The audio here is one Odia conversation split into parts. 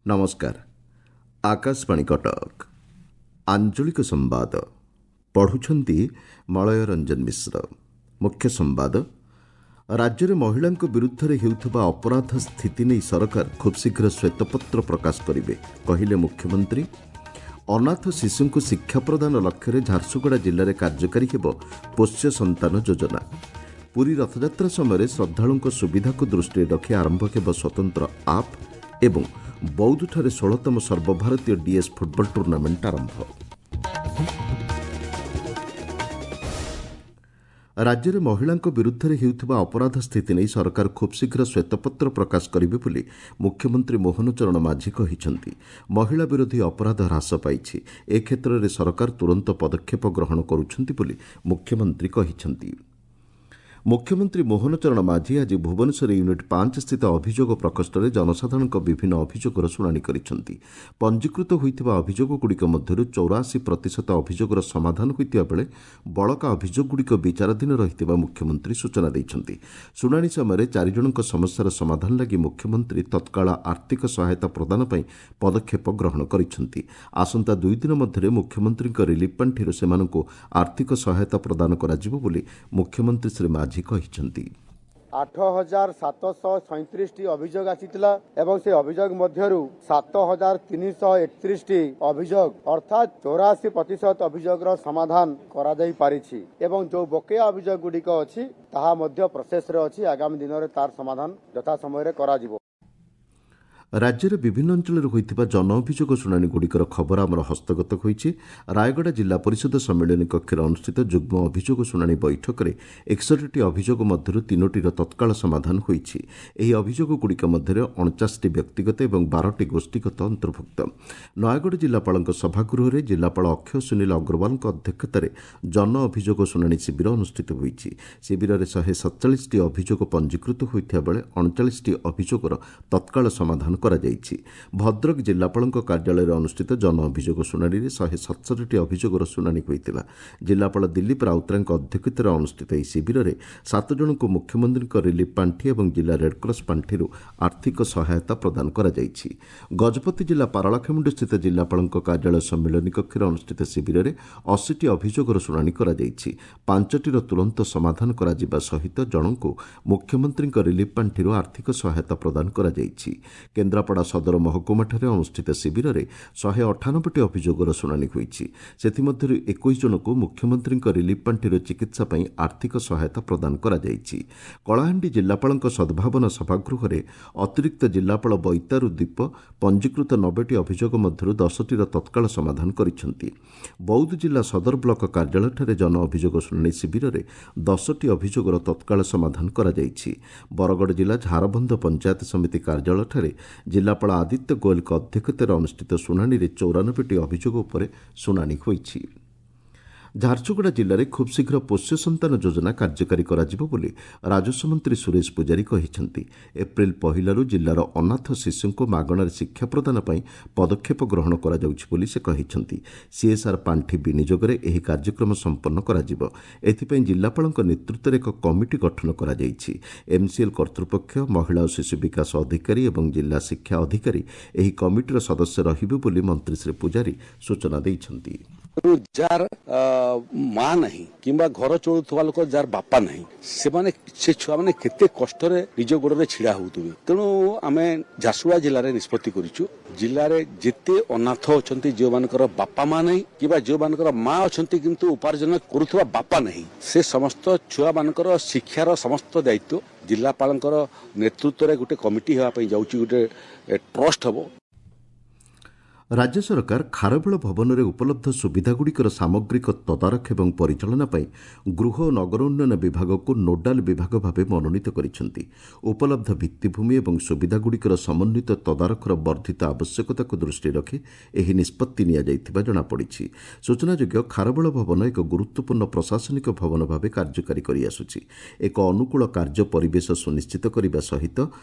ନମସ୍କାର, ଆକାଶବାଣୀ କଟକ। ଆଞ୍ଚଳିକ ସମ୍ବାଦ ପଢ଼ୁଛନ୍ତି ମଳୟ ରଞ୍ଜନ ମିଶ୍ର। ମୁଖ୍ୟ ସମ୍ବାଦ, ରାଜ୍ୟରେ ମହିଳାଙ୍କ ବିରୁଦ୍ଧରେ ହେଉଥିବା ଅପରାଧ ସ୍ଥିତି ନେଇ ସରକାର ଖୁବ୍ଶୀଘ୍ର ଶ୍ୱେତପତ୍ର ପ୍ରକାଶ କରିବେ, କହିଲେ ମୁଖ୍ୟମନ୍ତ୍ରୀ। ଅନାଥ ଶିଶୁଙ୍କୁ ଶିକ୍ଷା ପ୍ରଦାନ ଲକ୍ଷ୍ୟରେ ଝାରସୁଗୁଡ଼ା ଜିଲ୍ଲାରେ କାର୍ଯ୍ୟକାରୀ ହେବ ପୋଷ୍ୟ ସନ୍ତାନ ଯୋଜନା। ପୁରୀ ରଥଯାତ୍ରା ସମୟରେ ଶ୍ରଦ୍ଧାଳୁଙ୍କ ସୁବିଧାକୁ ଦୃଷ୍ଟିରେ ରଖି ଆରମ୍ଭ ହେବ ସ୍ୱତନ୍ତ୍ର ଆପ୍। ଏବଂ ବୌଦ୍ଧଠାରେ 16ତମ ସର୍ବଭାରତୀୟ ଡିଏସ୍ ଫୁଟବଲ ଟୁର୍ଣ୍ଣାମେଣ୍ଟ ଆରମ୍ଭ। ରାଜ୍ୟରେ ମହିଳାଙ୍କ ବିରୁଦ୍ଧରେ ହେଉଥିବା ଅପରାଧ ସ୍ଥିତି ନେଇ ସରକାର ଖୁବ୍ଶୀଘ୍ର ଶ୍ୱେତପତ୍ର ପ୍ରକାଶ କରିବେ ବୋଲି ମୁଖ୍ୟମନ୍ତ୍ରୀ ମୋହନ ଚରଣ ମାଝୀ କହିଛନ୍ତି। ମହିଳା ବିରୋଧୀ ଅପରାଧ ହ୍ରାସ ପାଇଛି, ଏ କ୍ଷେତ୍ରରେ ସରକାର ତୁରନ୍ତ ପଦକ୍ଷେପ ଗ୍ରହଣ କରୁଛନ୍ତି ବୋଲି ମୁଖ୍ୟମନ୍ତ୍ରୀ କହିଛନ୍ତି। ମୁଖ୍ୟମନ୍ତ୍ରୀ ମୋହନ ଚରଣ ମାଝୀ ଆଜି ଭୁବନେଶ୍ୱର ୟୁନିଟ୍ 5 ସ୍ଥିତ ଅଭିଯୋଗ ପ୍ରକୋଷ୍ଠରେ ଜନସାଧାରଣଙ୍କ ବିଭିନ୍ନ ଅଭିଯୋଗର ଶୁଣାଣି କରିଛନ୍ତି। ପଞ୍ଜୀକୃତ ହୋଇଥିବା ଅଭିଯୋଗଗୁଡ଼ିକ ମଧ୍ୟରୁ 84% ଅଭିଯୋଗର ସମାଧାନ ହୋଇଥିବା ବେଳେ ବଳକା ଅଭିଯୋଗଗୁଡ଼ିକ ବିଚାରାଧୀନ ରହିଥିବା ମୁଖ୍ୟମନ୍ତ୍ରୀ ସୂଚନା ଦେଇଛନ୍ତି। ଶୁଣାଣି ସମୟରେ 4 ଜଣଙ୍କ ସମସ୍ୟାର ସମାଧାନ ଲାଗି ମୁଖ୍ୟମନ୍ତ୍ରୀ ତତ୍କାଳ ଆର୍ଥିକ ସହାୟତା ପ୍ରଦାନ ପାଇଁ ପଦକ୍ଷେପ ଗ୍ରହଣ କରିଛନ୍ତି। ଆସନ୍ତା 2 ଦିନ ମଧ୍ୟରେ ମୁଖ୍ୟମନ୍ତ୍ରୀଙ୍କ ରିଲିଫ୍ ପାଣ୍ଠିରୁ ସେମାନଙ୍କୁ ଆର୍ଥିକ ସହାୟତା ପ୍ରଦାନ କରାଯିବ ବୋଲି ମୁଖ୍ୟମନ୍ତ୍ରୀ ଶ୍ରୀ ମାଝୀ କହିଛନ୍ତି। 8737ଟି ଅଭିଯୋଗ ଆସିଥିଲା ଏବଂ ସେ ଅଭିଯୋଗ ମଧ୍ୟରୁ 7331ଟି ଅଭିଯୋଗ ଅର୍ଥାତ୍ 84% ଅଭିଯୋଗର ସମାଧାନ କରାଯାଇ ପାରିଛି ଏବଂ ଯେଉଁ ବକେୟା ଅଭିଯୋଗ ଗୁଡ଼ିକ ଅଛି ତାହା ମଧ୍ୟ ପ୍ରୋସେସରେ ଅଛି। ଆଗାମୀ ଦିନରେ ତାର ସମାଧାନ ଯଥା ସମୟରେ କରାଯିବ। ରାଜ୍ୟରେ ବିଭିନ୍ନ ଅଞ୍ଚଳରେ ହୋଇଥିବା ଜନ ଅଭିଯୋଗ ଶୁଣାଣିଗୁଡ଼ିକର ଖବର ଆମର ହସ୍ତଗତ ହୋଇଛି। ରାୟଗଡ଼ା ଜିଲ୍ଲା ପରିଷଦ ସମ୍ମିଳନୀ କକ୍ଷରେ ଅନୁଷ୍ଠିତ ଯୁଗ୍ମ ଅଭିଯୋଗ ଶୁଣାଣି ବୈଠକରେ 61ଟି ଅଭିଯୋଗ ମଧ୍ୟରୁ 3ଟିର ତତ୍କାଳ ସମାଧାନ ହୋଇଛି। ଏହି ଅଭିଯୋଗଗୁଡ଼ିକ ମଧ୍ୟରେ 49ଟି ବ୍ୟକ୍ତିଗତ ଏବଂ 12ଟି ଗୋଷ୍ଠୀଗତ ଅନ୍ତର୍ଭୁକ୍ତ। ନୟାଗଡ଼ ଜିଲ୍ଲାପାଳଙ୍କ ସଭାଗୃହରେ ଜିଲ୍ଲାପାଳ ଅକ୍ଷୟ ସୁନୀଲ ଅଗ୍ରୱାଲଙ୍କ ଅଧ୍ୟକ୍ଷତାରେ ଜନ ଅଭିଯୋଗ ଶୁଣାଣି ଶିବିର ଅନୁଷ୍ଠିତ ହୋଇଛି। ଶିବିରରେ 147ଟି ଅଭିଯୋଗ ପଞ୍ଜୀକୃତ ହୋଇଥିବା ବେଳେ 39ଟି ଅଭିଯୋଗର ତତ୍କାଳ ସମାଧାନ କରାଯାଇଛି। ଭଦ୍ରକ ଜିଲ୍ଲାପାଳଙ୍କ କାର୍ଯ୍ୟାଳୟରେ ଅନୁଷ୍ଠିତ ଜନ ଅଭିଯୋଗ ଶୁଣାଣିରେ 167ଟି ଅଭିଯୋଗର ଶୁଣାଣି ହୋଇଥିଲା। ଜିଲ୍ଲାପାଳ ଦିଲ୍ଲୀପ ରାଉତରାୟଙ୍କ ଅଧ୍ୟକ୍ଷତାରେ ଅନୁଷ୍ଠିତ ଏହି ଶିବିରରେ 7 ଜଣଙ୍କୁ ମୁଖ୍ୟମନ୍ତ୍ରୀଙ୍କ ରିଲିଫ୍ ପାଣ୍ଠି ଏବଂ ଜିଲ୍ଲା ରେଡ୍କ୍ରସ୍ ପାଣ୍ଠିରୁ ଆର୍ଥିକ ସହାୟତା ପ୍ରଦାନ କରାଯାଇଛି। ଗଜପତି ଜିଲ୍ଲା ପାରଳାଖେମୁଣ୍ଡିସ୍ଥିତ ଜିଲ୍ଲାପାଳଙ୍କ କାର୍ଯ୍ୟାଳୟ ସମ୍ମିଳନୀ କକ୍ଷରେ ଅନୁଷ୍ଠିତ ଶିବିରରେ 80ଟି ଅଭିଯୋଗର ଶୁଣାଣି କରାଯାଇଛି। 5ଟିର ତୁରନ୍ତ ସମାଧାନ କରାଯିବା ସହିତ ଜଣଙ୍କୁ ମୁଖ୍ୟମନ୍ତ୍ରୀଙ୍କ ରିଲିଫ୍ ପାଣ୍ଠିରୁ ଆର୍ଥିକ ସହାୟତା ପ୍ରଦାନ କରାଯାଇଛି। କେନ୍ଦ୍ରାପଡ଼ା ସଦର ମହକୁମାଠାରେ ଅନୁଷ୍ଠିତ ଶିବିରରେ 198ଟି ଅଭିଯୋଗର ଶୁଣାଣି ହୋଇଛି। ସେଥିମଧ୍ୟରୁ 21 ଜଣଙ୍କୁ ମୁଖ୍ୟମନ୍ତ୍ରୀଙ୍କ ରିଲିଫ୍ ପାଣ୍ଠିରୁ ଚିକିତ୍ସା ପାଇଁ ଆର୍ଥିକ ସହାୟତା ପ୍ରଦାନ କରାଯାଇଛି। କଳାହାଣ୍ଡି ଜିଲ୍ଲାପାଳଙ୍କ ସଦ୍ଭାବନା ସଭାଗୃହରେ ଅତିରିକ୍ତ ଜିଲ୍ଲାପାଳ ବୈତାରୁ ଦ୍ୱୀପ ପଞ୍ଜୀକୃତ 90ଟି ଅଭିଯୋଗ ମଧ୍ୟରୁ 10ଟିର ତତ୍କାଳ ସମାଧାନ କରିଛନ୍ତି। ବୌଦ୍ଧ ଜିଲ୍ଲା ସଦର ବ୍ଲକ କାର୍ଯ୍ୟାଳୟଠାରେ ଜନ ଅଭିଯୋଗ ଶୁଣାଣି ଶିବିରରେ 10ଟି ଅଭିଯୋଗର ତତ୍କାଳ ସମାଧାନ କରାଯାଇଛି। ବରଗଡ଼ ଜିଲ୍ଲା ଝାରବନ୍ଧ ପଞ୍ଚାୟତ ସମିତି କାର୍ଯ୍ୟାଳୟଠାରେ ଜିଲ୍ଲାପାଳ ଆଦିତ୍ୟ ଗୋଏଲଙ୍କ ଅଧ୍ୟକ୍ଷତାରେ ଅନୁଷ୍ଠିତ ଶୁଣାଣିରେ 94ଟି ଅଭିଯୋଗ ଉପରେ ଶୁଣାଣି ହୋଇଛି। ଝାରସୁଗୁଡ଼ା ଜିଲ୍ଲାରେ ଖୁବ୍ଶୀଘ୍ର ପୋଷ୍ୟ ସନ୍ତାନ ଯୋଜନା କାର୍ଯ୍ୟକାରୀ କରାଯିବ ବୋଲି ରାଜସ୍ୱ ମନ୍ତ୍ରୀ ସୁରେଶ ପୂଜାରୀ କହିଛନ୍ତି। ଏପ୍ରିଲ 1ରୁ ଜିଲ୍ଲାର ଅନାଥ ଶିଶୁଙ୍କୁ ମାଗଣାରେ ଶିକ୍ଷା ପ୍ରଦାନ ପାଇଁ ପଦକ୍ଷେପ ଗ୍ରହଣ କରାଯାଉଛି ବୋଲି ସେ କହିଛନ୍ତି। ସିଏସ୍ଆର୍ ପାଣ୍ଠି ବିନିଯୋଗରେ ଏହି କାର୍ଯ୍ୟକ୍ରମ ସମ୍ପନ୍ନ କରାଯିବ। ଏଥିପାଇଁ ଜିଲ୍ଲାପାଳଙ୍କ ନେତୃତ୍ୱରେ ଏକ କମିଟି ଗଠନ କରାଯାଇଛି। ଏମ୍ସିଏଲ୍ କର୍ତ୍ତୃପକ୍ଷ, ମହିଳା ଓ ଶିଶୁ ବିକାଶ ଅଧିକାରୀ ଏବଂ ଜିଲ୍ଲା ଶିକ୍ଷା ଅଧିକାରୀ ଏହି କମିଟିର ସଦସ୍ୟ ରହିବେ ବୋଲି ମନ୍ତ୍ରୀ ଶ୍ରୀ ପୂଜାରୀ ସୂଚନା ଦେଇଛନ୍ତି। ଯାହାର ମା ନାହିଁ କିମ୍ବା ଘର ଚଳୁଥିବା ଲୋକ ଯାହାର ବାପା ନାହିଁ, ସେମାନେ ସେ ଛୁଆମାନେ କେତେ କଷ୍ଟରେ ନିଜ ଗୋଡ଼ରେ ଛିଡ଼ା ହେଉଥିବେ। ତେଣୁ ଆମେ ଝାରସୁଗୁଡ଼ା ଜିଲ୍ଲାରେ ନିଷ୍ପତ୍ତି କରିଛୁ, ଜିଲ୍ଲାରେ ଯେତେ ଅନାଥ ଅଛନ୍ତି, ଯେଉଁମାନଙ୍କର ବାପା ମା ନାହିଁ କିମ୍ବା ଯେଉଁମାନଙ୍କର ମା ଅଛନ୍ତି କିନ୍ତୁ ଉପାର୍ଜନ କରୁଥିବା ବାପା ନାହିଁ, ସେ ସମସ୍ତ ଛୁଆମାନଙ୍କର ଶିକ୍ଷାର ସମସ୍ତ ଦାୟିତ୍ୱ ଜିଲ୍ଲାପାଳଙ୍କର ନେତୃତ୍ୱରେ ଗୋଟେ କମିଟି ହେବା ପାଇଁ ଯାଉଛି, ଗୋଟେ ଟ୍ରଷ୍ଟ ହେବ। ରାଜ୍ୟ ସରକାର ଖାରବେଳ ଭବନରେ ଉପଲବ୍ଧ ସୁବିଧାଗୁଡ଼ିକର ସାମଗ୍ରିକ ତଦାରଖ ଏବଂ ପରିଚାଳନା ପାଇଁ ଗୃହ ଓ ନଗର ଉନ୍ନୟନ ବିଭାଗକୁ ନୋଡାଲ ବିଭାଗ ଭାବେ ମନୋନୀତ କରିଛନ୍ତି। ଉପଲବ୍ଧ ଭିତ୍ତିଭୂମି ଏବଂ ସୁବିଧାଗୁଡ଼ିକର ସମନ୍ୱିତ ତଦାରଖର ବର୍ଦ୍ଧିତ ଆବଶ୍ୟକତାକୁ ଦୃଷ୍ଟିରେ ରଖି ଏହି ନିଷ୍ପତ୍ତି ନିଆଯାଇଥିବା ଜଣାପଡ଼ିଛି। ସୂଚନାଯୋଗ୍ୟ, ଖାରବେଳ ଭବନ ଏକ ଗୁରୁତ୍ୱପୂର୍ଣ୍ଣ ପ୍ରଶାସନିକ ଭବନ ଭାବେ କାର୍ଯ୍ୟକାରୀ କରିଆସୁଛି। ଏକ ଅନୁକୂଳ କାର୍ଯ୍ୟ ପରିବେଶ ସୁନିଶ୍ଚିତ କରିବା ସହିତ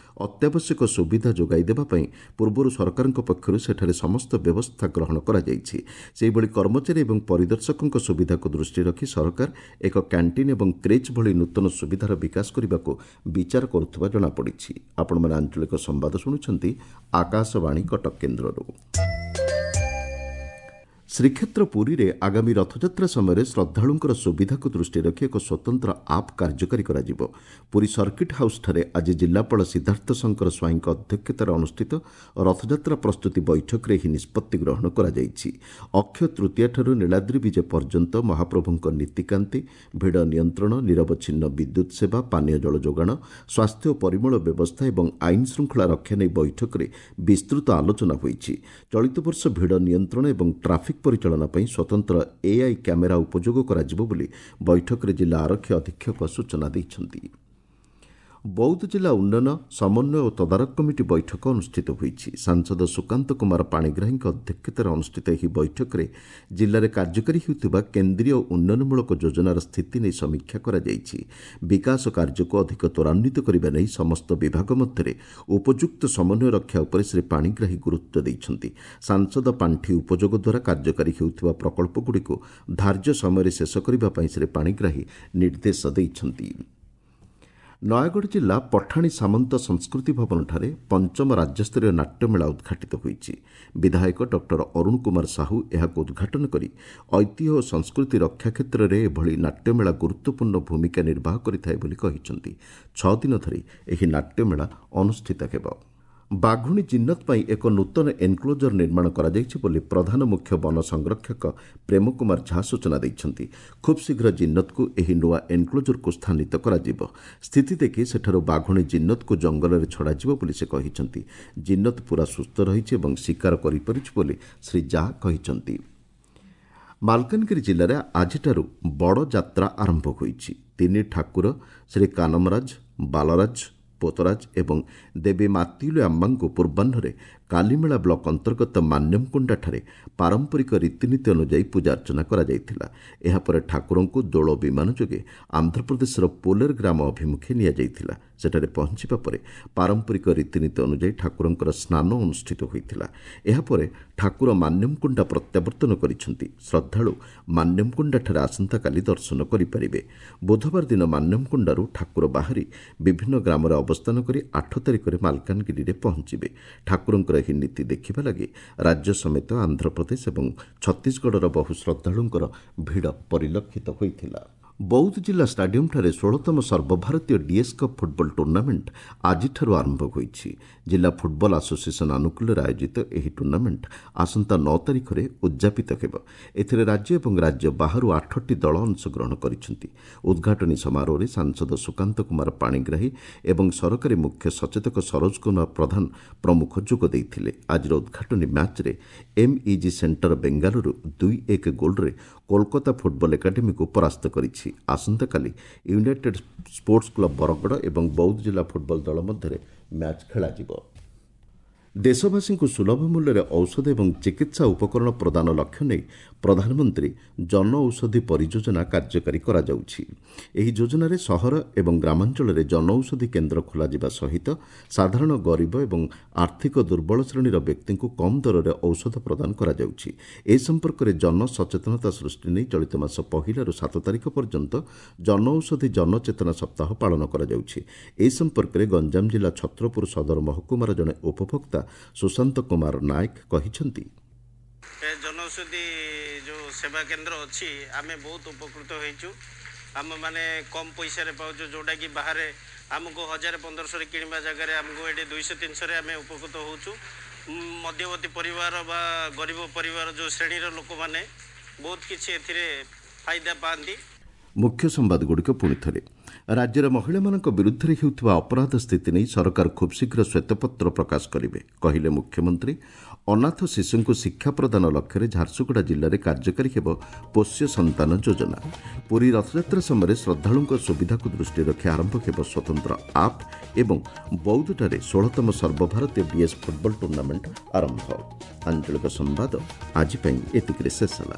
ଅତ୍ୟାବଶ୍ୟକ ସୁବିଧା ଯୋଗାଇ ଦେବା ପାଇଁ ପୂର୍ବରୁ ସରକାରଙ୍କ ପକ୍ଷରୁ ସେଠାରେ ସମସ୍ତ ବ୍ୟବସ୍ଥା ଗ୍ରହଣ କରାଯାଇଛି। ସେହିଭଳି କର୍ମଚାରୀ ଏବଂ ପରିଦର୍ଶକଙ୍କ ସୁବିଧାକୁ ଦୃଷ୍ଟିରେ ରଖି ସରକାର ଏକ କ୍ୟାଣ୍ଟିନ୍ ଏବଂ କ୍ରେଚ୍ ଭଳି ନୂତନ ସୁବିଧାର ବିକାଶ କରିବାକୁ ବିଚାର କରୁଥିବା ଜଣାପଡ଼ିଛି। ଆପଣମାନେ ଆଞ୍ଚଳିକ ସମ୍ବାଦ ଶୁଣୁଛନ୍ତି ଆକାଶବାଣୀ କଟକ କେନ୍ଦ୍ରରୁ। ଶ୍ରୀକ୍ଷେତ୍ର ପୁରୀରେ ଆଗାମୀ ରଥଯାତ୍ରା ସମୟରେ ଶ୍ରଦ୍ଧାଳୁଙ୍କର ସୁବିଧାକୁ ଦୃଷ୍ଟିରେ ରଖି ଏକ ସ୍ୱତନ୍ତ୍ର ଆପ୍ କାର୍ଯ୍ୟକାରୀ କରାଯିବ। ପୁରୀ ସର୍କିଟ୍ ହାଉସ୍ଠାରେ ଆଜି ଜିଲ୍ଲାପାଳ ସିଦ୍ଧାର୍ଥ ଶଙ୍କର ସ୍ୱାଇଁଙ୍କ ଅଧ୍ୟକ୍ଷତାରେ ଅନୁଷ୍ଠିତ ରଥଯାତ୍ରା ପ୍ରସ୍ତୁତି ବୈଠକରେ ଏହି ନିଷ୍ପତ୍ତି ଗ୍ରହଣ କରାଯାଇଛି। ଅକ୍ଷୟ ତୃତୀୟାଠାରୁ ନୀଳାଦ୍ରି ବିଜେ ପର୍ଯ୍ୟନ୍ତ ମହାପ୍ରଭୁଙ୍କ ନୀତିକାନ୍ତି, ଭିଡ଼ ନିୟନ୍ତ୍ରଣ, ନିରବଚ୍ଛିନ୍ନ ବିଦ୍ୟୁତ୍ ସେବା, ପାନୀୟ ଜଳ ଯୋଗାଣ, ସ୍ୱାସ୍ଥ୍ୟ ଓ ପରିମଳ ବ୍ୟବସ୍ଥା ଏବଂ ଆଇନ ଶୃଙ୍ଖଳା ରକ୍ଷା ନେଇ ବୈଠକରେ ବିସ୍ତୃତ ଆଲୋଚନା ହୋଇଛି। ଚଳିତ ବର୍ଷ ଭିଡ଼ ନିୟନ୍ତ୍ରଣ ଏବଂ ଟ୍ରାଫିକ୍ ପରିଚାଳନା ପାଇଁ ସ୍ୱତନ୍ତ୍ର ଏଆଇ କ୍ୟାମେରା ଉପଯୋଗ କରାଯିବ ବୋଲି ବୈଠକରେ ଜିଲ୍ଲା ଆରକ୍ଷୀ ଅଧୀକ୍ଷକ ସୂଚନା ଦେଇଛନ୍ତି। ବୌଦ୍ଧ ଜିଲ୍ଲା ଉନ୍ନୟନ ସମନ୍ୱୟ ଓ ତଦାରଖ କମିଟି ବୈଠକ ଅନୁଷ୍ଠିତ ହୋଇଛି। ସାଂସଦ ସୁକାନ୍ତ କୁମାର ପାଣିଗ୍ରାହୀଙ୍କ ଅଧ୍ୟକ୍ଷତାରେ ଅନୁଷ୍ଠିତ ଏହି ବୈଠକରେ ଜିଲ୍ଲାରେ କାର୍ଯ୍ୟକାରୀ ହେଉଥିବା କେନ୍ଦ୍ରୀୟ ଉନ୍ନୟନମୂଳକ ଯୋଜନାର ସ୍ଥିତି ନେଇ ସମୀକ୍ଷା କରାଯାଇଛି। ବିକାଶ କାର୍ଯ୍ୟକୁ ଅଧିକ ତ୍ୱରାନ୍ୱିତ କରିବା ନେଇ ସମସ୍ତ ବିଭାଗ ମଧ୍ୟରେ ଉପଯୁକ୍ତ ସମନ୍ୱୟ ରକ୍ଷା ଉପରେ ଶ୍ରୀ ପାଣିଗ୍ରାହୀ ଗୁରୁତ୍ୱ ଦେଇଛନ୍ତି। ସାଂସଦ ପାଣ୍ଠି ଉପଯୋଗ ଦ୍ୱାରା କାର୍ଯ୍ୟକାରୀ ହେଉଥିବା ପ୍ରକଳ୍ପଗୁଡ଼ିକୁ ଧାର୍ଯ୍ୟ ସମୟରେ ଶେଷ କରିବା ପାଇଁ ଶ୍ରୀ ପାଣିଗ୍ରାହୀ ନିର୍ଦ୍ଦେଶ ଦେଇଛନ୍ତି। ନୟାଗଡ଼ ଜିଲ୍ଲା ପଠାଣି ସାମନ୍ତ ସଂସ୍କୃତି ଭବନଠାରେ ପଞ୍ଚମ ରାଜ୍ୟସ୍ତରୀୟ ନାଟ୍ୟମେଳା ଉଦ୍ଘାଟିତ ହୋଇଛି। ବିଧାୟକ ଡକ୍ଟର ଅରୁଣ କୁମାର ସାହୁ ଏହାକୁ ଉଦ୍ଘାଟନ କରି ଐତିହ୍ୟ ଓ ସଂସ୍କୃତି ରକ୍ଷା କ୍ଷେତ୍ରରେ ଏଭଳି ନାଟ୍ୟମେଳା ଗୁରୁତ୍ୱପୂର୍ଣ୍ଣ ଭୂମିକା ନିର୍ବାହ କରିଥାଏ ବୋଲି କହିଛନ୍ତି। 6 ଦିନ ଧରି ଏହି ନାଟ୍ୟମେଳା ଅନୁଷ୍ଠିତ ହେବ। ବାଘୁଣୀ ଜିନ୍ନତ ପାଇଁ ଏକ ନୂତନ ଏନ୍କ୍ଲୋଜର ନିର୍ମାଣ କରାଯାଇଛି ବୋଲି ପ୍ରଧାନ ମୁଖ୍ୟ ବନ ସଂରକ୍ଷକ ପ୍ରେମ କୁମାର ଝା ସୂଚନା ଦେଇଛନ୍ତି। ଖୁବ୍ ଶୀଘ୍ର ଜିନ୍ନତକୁ ଏହି ନୂଆ ଏନ୍କ୍ଲୋଜରକୁ ସ୍ଥାନିତ କରାଯିବ। ସ୍ଥିତି ଦେଖି ସେଠାରୁ ବାଘୁଣୀ ଜିନ୍ନତକୁ ଜଙ୍ଗଲରେ ଛଡ଼ାଯିବ ବୋଲି ସେ କହିଛନ୍ତି। ଜିନ୍ନତ ପୂରା ସୁସ୍ଥ ରହିଛି ଏବଂ ଶିକାର କରିପାରୁଛି ବୋଲି ଶ୍ରୀ ଝା କହିଛନ୍ତି। ମାଲକାନଗିରି ଜିଲ୍ଲାରେ ଆଜିଠାରୁ ବଡ଼ ଯାତ୍ରା ଆରମ୍ଭ ହୋଇଛି। ତିନି ଠାକୁର ଶ୍ରୀ କାନମରାଜ, ବାଲରାଜ, ପୋତରାଜ ଏବଂ ଦେବୀ ମାତିଲୁ ଆମ୍ମାଙ୍କୁ ପୂର୍ବାହ୍ନରେ କାଲିମେଳା ବ୍ଲକ ଅନ୍ତର୍ଗତ ମାନ୍ୟମକୁଣ୍ଡାଠାରେ ପାରମ୍ପରିକ ରୀତିନୀତି ଅନୁଯାୟୀ ପୂଜାର୍ଚ୍ଚନା କରାଯାଇଥିଲା। ଏହାପରେ ଠାକୁରଙ୍କୁ ଦୋଳ ବିମାନ ଯୋଗେ ଆନ୍ଧ୍ରପ୍ରଦେଶର ପୋଲେର ଗ୍ରାମ ଅଭିମୁଖେ ନିଆଯାଇଥିଲା। ସେଠାରେ ପହଞ୍ଚିବା ପରେ ପାରମ୍ପରିକ ରୀତିନୀତି ଅନୁଯାୟୀ ଠାକୁରଙ୍କର ସ୍ନାନ ଅନୁଷ୍ଠିତ ହୋଇଥିଲା। ଏହାପରେ ଠାକୁର ମାନ୍ୟମକୁଣ୍ଡା ପ୍ରତ୍ୟାବର୍ତ୍ତନ କରିଛନ୍ତି। ଶ୍ରଦ୍ଧାଳୁ ମାନ୍ୟମକୁଣ୍ଡାଠାରେ ଆସନ୍ତାକାଲି ଦର୍ଶନ କରିପାରିବେ। ବୁଧବାର ଦିନ ମାନ୍ୟମକୁଣ୍ଡାରୁ ଠାକୁର ବାହାରି ବିଭିନ୍ନ ଗ୍ରାମରେ ଅବସ୍ଥାନ କରି 8 ତାରିଖରେ ମାଲକାନଗିରିରେ ପହଞ୍ଚିବେ। ଠାକୁରଙ୍କର ଏହି ନୀତି ଦେଖିବା ଲାଗି ରାଜ୍ୟ ସମେତ ଆନ୍ଧ୍ରପ୍ରଦେଶ ଏବଂ ଛତିଶଗଡ଼ର ବହୁ ଶ୍ରଦ୍ଧାଳୁଙ୍କର ଭିଡ଼ ପରିଲକ୍ଷିତ ହୋଇଥିଲା। ବୌଦ୍ଧ ଜିଲ୍ଲା ଷ୍ଟାଡିୟମ୍ଠାରେ 16ତମ ସର୍ବଭାରତୀୟ ଡିଏସ୍ କପ୍ ଫୁଟବଲ ଟୁର୍ଣ୍ଣାମେଣ୍ଟ ଆଜିଠାରୁ ଆରମ୍ଭ ହୋଇଛି। ଜିଲ୍ଲା ଫୁଟବଲ ଆସୋସିଏସନ୍ ଆନୁକୂଲ୍ୟରେ ଆୟୋଜିତ ଏହି ଟୁର୍ଣ୍ଣାମେଣ୍ଟ ଆସନ୍ତା 9 ତାରିଖରେ ଉଦ୍ଯାପିତ ହେବ। ଏଥିରେ ରାଜ୍ୟ ଏବଂ ରାଜ୍ୟ ବାହାରୁ 8ଟି ଦଳ ଅଂଶଗ୍ରହଣ କରିଛନ୍ତି। ଉଦ୍ଘାଟନୀ ସମାରୋହରେ ସାଂସଦ ସୁକାନ୍ତ କୁମାର ପାଣିଗ୍ରାହୀ ଏବଂ ସରକାରୀ ମୁଖ୍ୟ ସଚେତକ ସରୋଜ କୁମାର ପ୍ରଧାନ ପ୍ରମୁଖ ଯୋଗ ଦେଇଥିଲେ। ଆଜିର ଉଦ୍ଘାଟନୀ ମ୍ୟାଚ୍ରେ ଏମ୍ଇଜି ସେଣ୍ଟର ବେଙ୍ଗାଲୁରୁ 2-1 ଗୋଲ୍ରେ କୋଲକାତା ଫୁଟବଲ ଏକାଡେମୀକୁ ପରାସ୍ତ କରିଛି। ଆସନ୍ତାକାଲି ୟୁନାଇଟେଡ୍ ସ୍ପୋର୍ଟସ୍ କ୍ଲବ ବରଗଡ଼ ଏବଂ ବୌଦ୍ଧ ଜିଲ୍ଲା ଫୁଟବଲ ଦଳ ମଧ୍ୟରେ ମ୍ୟାଚ୍ ଖେଳାଯିବ। ଦେଶବାସୀଙ୍କୁ ସୁଲଭ ମୂଲ୍ୟରେ ଔଷଧ ଏବଂ ଚିକିତ୍ସା ଉପକରଣ ପ୍ରଦାନ ଲକ୍ଷ୍ୟ ନେଇ ପ୍ରଧାନମନ୍ତ୍ରୀ ଜନ ଔଷଧି ପରିଯୋଜନା କାର୍ଯ୍ୟକାରୀ କରାଯାଉଛି। ଏହି ଯୋଜନାରେ ସହର ଏବଂ ଗ୍ରାମାଞ୍ଚଳରେ ଜନଔଷଧି କେନ୍ଦ୍ର ଖୋଲାଯିବା ସହିତ ସାଧାରଣ ଗରିବ ଏବଂ ଆର୍ଥିକ ଦୁର୍ବଳ ଶ୍ରେଣୀର ବ୍ୟକ୍ତିଙ୍କୁ କମ୍ ଦରରେ ଔଷଧ ପ୍ରଦାନ କରାଯାଉଛି। ଏ ସମ୍ପର୍କରେ ଜନସଚେତନତା ସୃଷ୍ଟି ନେଇ ଚଳିତ ମାସ 1ରୁ 7 ତାରିଖ ପର୍ଯ୍ୟନ୍ତ ଜନଔଷଧି ଜନଚେତନା ସପ୍ତାହ ପାଳନ କରାଯାଉଛି। ଏ ସମ୍ପର୍କରେ ଗଞ୍ଜାମ ଜିଲ୍ଲା ଛତ୍ରପୁର ସଦର ମହକୁମାର ଜଣେ ଉପଭୋକ୍ତା ସୁଶାନ୍ତ କୁମାର ନାୟକ କହିଛନ୍ତି, ଜନୌଷଧି ଯେଉଁ ସେବା କେନ୍ଦ୍ର ଅଛି ଆମେ ବହୁତ ଉପକୃତ ହେଇଛୁ। ଆମେମାନେ କମ୍ ପଇସାରେ ପାଉଛୁ, ଯେଉଁଟାକି ବାହାରେ ଆମକୁ 1000 1500ରେ କିଣିବା ଜାଗାରେ ଆମକୁ ଏଠି 200 300ରେ ଆମେ ଉପକୃତ ହେଉଛୁ। ମଧ୍ୟବର୍ତ୍ତୀ ପରିବାର ବା ଗରିବ ପରିବାର ଯେଉଁ ଶ୍ରେଣୀର ଲୋକମାନେ ବହୁତ କିଛି ଏଥିରେ ଫାଇଦା ପାଆନ୍ତି। ମୁଖ୍ୟ ସମ୍ବାଦଗୁଡ଼ିକ ପୁଣି ଥରେ। ରାଜ୍ୟରେ ମହିଳାମାନଙ୍କ ବିରୁଦ୍ଧରେ ହେଉଥିବା ଅପରାଧ ସ୍ଥିତି ନେଇ ସରକାର ଖୁବ୍ ଶୀଘ୍ର ଶ୍ୱେତପତ୍ର ପ୍ରକାଶ କରିବେ, କହିଲେ ମୁଖ୍ୟମନ୍ତ୍ରୀ। ଅନାଥ ଶିଶୁଙ୍କୁ ଶିକ୍ଷା ପ୍ରଦାନ ଲକ୍ଷ୍ୟରେ ଝାରସୁଗୁଡ଼ା ଜିଲ୍ଲାରେ କାର୍ଯ୍ୟକାରୀ ହେବ ପୋଷ୍ୟ ସନ୍ତାନ ଯୋଜନା। ପୁରୀ ରଥଯାତ୍ରା ସମୟରେ ଶ୍ରଦ୍ଧାଳୁଙ୍କ ସୁବିଧାକୁ ଦୃଷ୍ଟିରେ ରଖି ଆରମ୍ଭ ହେବ ସ୍ୱତନ୍ତ୍ର ଆପ୍ ଏବଂ ବୌଦ୍ଧଠାରେ 16ତମ ସର୍ବଭାରତୀୟ ଡିଏସ୍ ଫୁଟବଲ ଟୁର୍ଣ୍ଣାମେଣ୍ଟ ଆରମ୍ଭ। ଆଞ୍ଚଳିକ ସମ୍ବାଦ ଆଜି ପାଇଁ ଏତିକିରେ ଶେଷ ହେଲା।